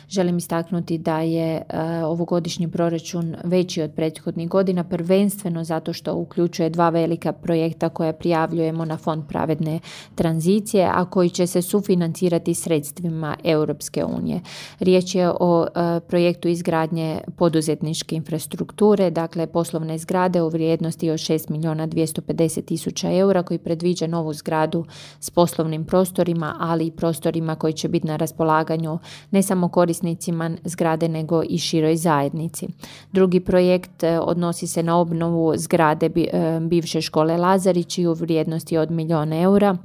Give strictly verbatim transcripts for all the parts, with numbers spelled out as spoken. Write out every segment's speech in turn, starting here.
Želim istaknuti da je ovogodišnji proračun veći od prethodnih godina, prvenstveno zato što uključuje dva velika projekta koja prijavljujemo na Fond pravedne tranzicije, a koji će se sufinancirati sredstvima Europske unije. Riječ je o projektu izgradnje poduzetničke infrastrukture, dakle poslovne zgrade u vrijednosti od šest milijuna dvjesto pedeset tisuća eura, koji predviđa novu zgradu s poslovnim prostorima, ali i prostorima koji će biti na raspolaganju ne samo korisnicima zgrade nego i široj zajednici. Drugi projekt odnosi se na obnovu zgrade bivše škole Lazarići u vrijednosti od milijun eura,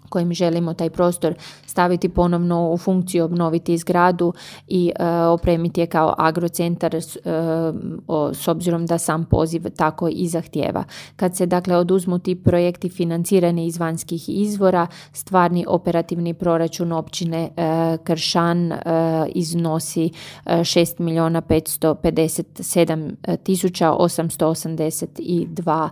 kojim želimo taj prostor staviti ponovno u funkciju, obnoviti zgradu i e, opremiti je kao agrocentar e, o, s obzirom da sam poziv tako i zahtijeva. Kad se dakle oduzmu ti projekti financirani iz vanjskih izvora, stvarni operativni proračun općine e, Kršan e, iznosi šest milijuna petsto pedeset sedam tisuća osamsto osamdeset dva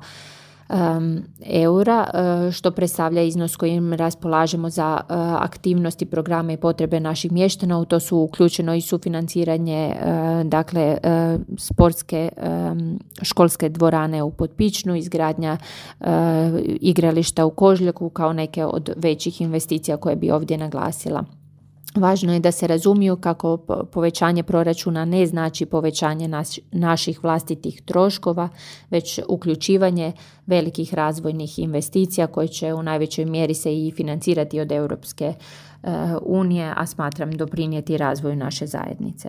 Um, eura, uh, što predstavlja iznos kojim raspolažemo za uh, aktivnosti, programe i potrebe naših mještana. U to su uključeno i sufinanciranje uh, dakle uh, sportske um, školske dvorane u Potpičnu, izgradnja uh, igrališta u Kožljaku kao neke od većih investicija koje bi ovdje naglasila. Važno je da se razumiju kako povećanje proračuna ne znači povećanje naš, naših vlastitih troškova, već uključivanje velikih razvojnih investicija koje će u najvećoj mjeri se i financirati od Europske unije, a smatram doprinijeti razvoju naše zajednice.